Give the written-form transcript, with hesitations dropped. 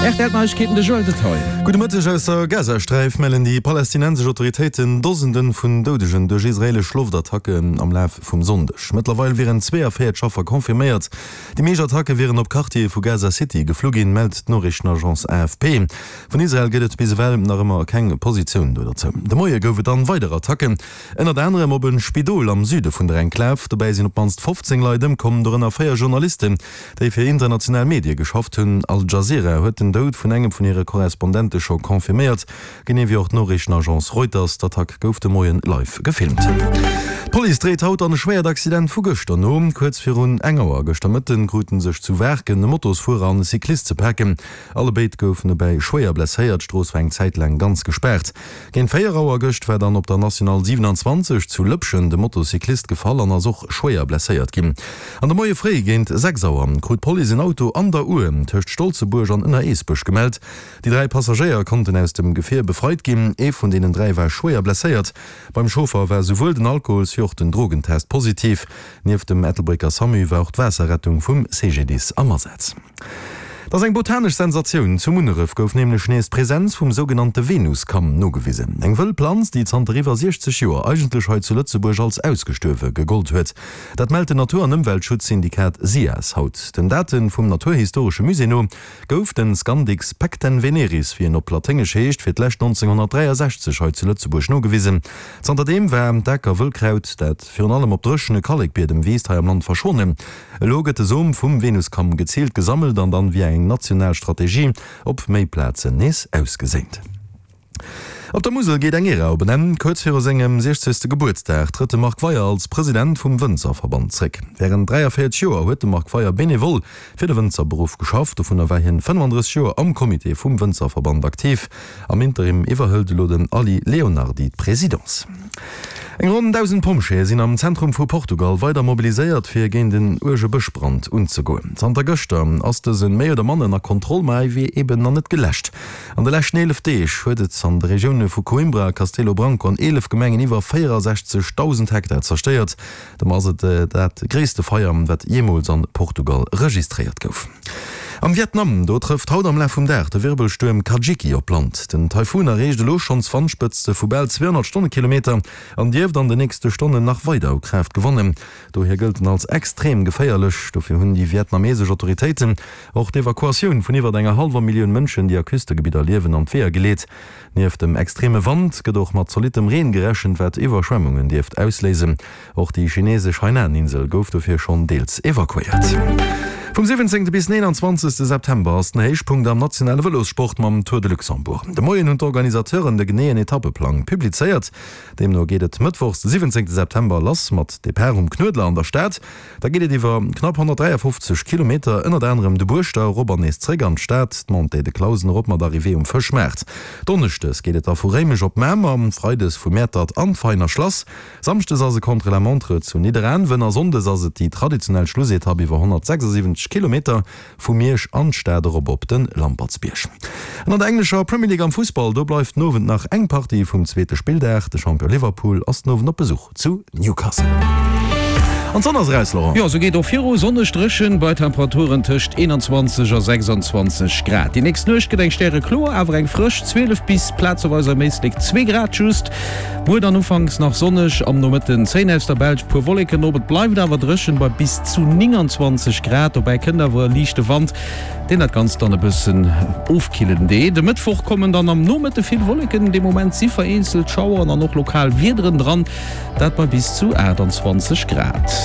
Rtl Neiegkeeten, de Joël Detaille. Gudde Mëtteg. Aus der Gazasträif mellen déi palästinensesch Autoritéiten Dosende vun Doudegen duerch israeelesch Loftattacken am Laf vum Sonndeg. Mëttlerweil wieren 42 Affer confirméiert. Déi meescht Attacke wieren op Quartiere vu Gaza City geflu ginn, mellt d'Noriichtenagence AFP. Vun Israel gëtt et bis ewell nach ëmmer keng Positioun do derzou. De Moie gouf et dann weider Attacken, ënnert anerem op e Spidol am Süde vun der Enklav. Dobäi sinn op d'mannst 15 Leit ëmkomm, dorënner 4 Journalisten. déi fir international Medie geschafft hunn. Al Jazeera huet den Doud vun engem vun hire Korrespondente scho confirméiert, genee wéi och d'Noriichtenagence Reuters. D'Attack gouf de Moien live gefilmt. D'Police dréit haut an e schwéiert Accident vu gëschter no. Kuerz virun eng Auer gëschter Mëtten krute sech zu Waarken e Motosfuerer an e Cyclist ze paken. Allebéid goufen dobäi schwéier blesséiert. D'Strooss war eng Zäit laang ganz gespaart. Géint 4 Auer gëscht war dann op der National 27 zu Lëpschen de Motocyclist gefall an ass och schwéier blesséiert ginn. An de Moie fréi géint 6 Auer krut d'Police en Auto an der Our tëscht Stolzebuerg an Ënner-Eesbech gemellt. Déi 3 Passagéier konnten aus dem Gefier befreit ginn. Ee vun deenen 3 war schwéier blesséiert. Beim Chauffer war souwuel den Alkohols wéi och den Drogentest positiv. Nieft dem Ettelbrécker Samu war och d'Waasserrettung vum CGDIS am Asaz. Et ass eng botanesch Sensatioun, Zu Munneref gouf nämlech nees d'Presenz vum sougenannte Venuskamm nogewisen. Eng wëll Planz, déi zanter iwwer 60 Joer eigentlech hei zu Lëtzebuerg als ausgestuerwe gegollt huet. Dat mellt den Natur an Ëmweltschutzsyndikat SIAS haut. Den Date vum Naturhistoresche Musée no gouf den Scandix pectenveneris, wéi en op Laténgesch heescht, fir d'lescht 1963 hei zu Lëtzebuerg nogewisen. Zanterdeem war d'Akerwëllkraut, dat virun allem op dréchene Kallekbiedem wiisst, hei am Land verschwonnen. Elo gëtt de Som vum Venuskamm geziilt gesammelt an dann via eng national Strategie op méi Plazen nees ausgeséint. Op der Musel geet eng Ära op en Enn. Kuerz viru sengem 60. Gebuertsdag trëtt de Marc Weyer als President vum Wënzerverband zréck. Wärend 43 Joer huet de Marc Weyer benevol fir de Wënzerberuff geschafft. Dovunner war hien 35 Joer am Comité vum Wënzerverband aktiv. Am Interim iwwerhëlt elo den Aly Leonardy d'Presidence. Eng ronn 1.000 Pompjeeë sinn am Zentrum vu Portugal weider mobiliséiert, fir géint en uerge Bëschbrand unzegoen. Zanter gëschter ass dëse méi oder manner ënner Kontroll, ma e wier eben nach net geläscht. An de leschten 11 Deeg huet et an de Regioune vu Coimbra a Castelo Branco an 11 Gemengen iwwer 64.000 Hektar zerstéiert. Domat ass et dat gréisste Feier, wat jeemools an Portugal registréiert gouf. Am Vietnam, do trëfft haut am Laf vum Dag de Wirbelstuerm Kajiki op Land. Den Taifun erreecht elo schonns Wandspëtzte vu bal 200 Stonnekilometer an dierft an de nächste Stonnen nach weider u Kraaft gewannen. Dohier gëllt en als extrem geféierlech. Dofir hunn déi vietnamesesch Autoritéiten och d'Evakuatioun vun iwwert enger hallwer Millioun Mënschen, déi a Küstegebidder liewen, an d'Weeër geleet. Nieft dem extreme Wand gëtt och mat zolittem Reen gerechent, wat Iwwerschwemmunge dierft ausléisen. Och déi chinesesch Hainan-Insel gouf dofir schonn deels evakuéiert. Vum 17. bis 29. September ass den Héichpunkt am nationale Vëlossport mam Tour de Luxembourg. De Moien hunn d'Organisateuren de geneeën Etappeplang publizéiert. Deemno geet et mëttwochs de 17. September lass mat Depart um Knuedler an der Stad. Da geet et iwwer knapp 153 Kilometer, ënnert anerem de Buerschter erop an nees zréck an d'Stad, d'Montée de Clausen erop mat Arrivée um Fëschmaart. Donneschdes geet et da vu Réimech op Mamer, Freides vu Mäertert an d'Veiner Schlass, Samschdes ass e Contre-la-montre zu Nidderaanwen a Sonndes ass et déi traditionell Schlussetapp iwwer 176 Kilometer Vu Miersch an d'Stad erop op de Lampertsbierg. An an der englescher Premier League am Fussball, do bleift den Owend nach eng Partie vum zweete Spilldag. De Champion Liverpool ass den Owend op Besuch zu Newcastle. An d'Sonn ass eraus, Laurent. Jo, sou geet och viru, sonneg, dréchen bei Temperaturen tëscht 21 a 26 Grad. Déi nächst Nuecht gëtt eng stärekloer, awer eng frësch 12 bis plazeweis am Éislek 2 Grad just. Muer dann ufanks nach sonneg, am Nomëtten zéien aus der Belsch puer Wolleken op. Et bleift awer dréchen bei bis zu 29 Grad. Dobäi kënnt awer e liichte Wand, deen dat Ganzt dann e bëssen ofkillen deet. E Mëttwoch kommen dann am Nomëtte vill Wolleken, dee Moment si vereenzelt Schaueren an och lokal Wiederen dran, dat bei bis zu 28 Grad.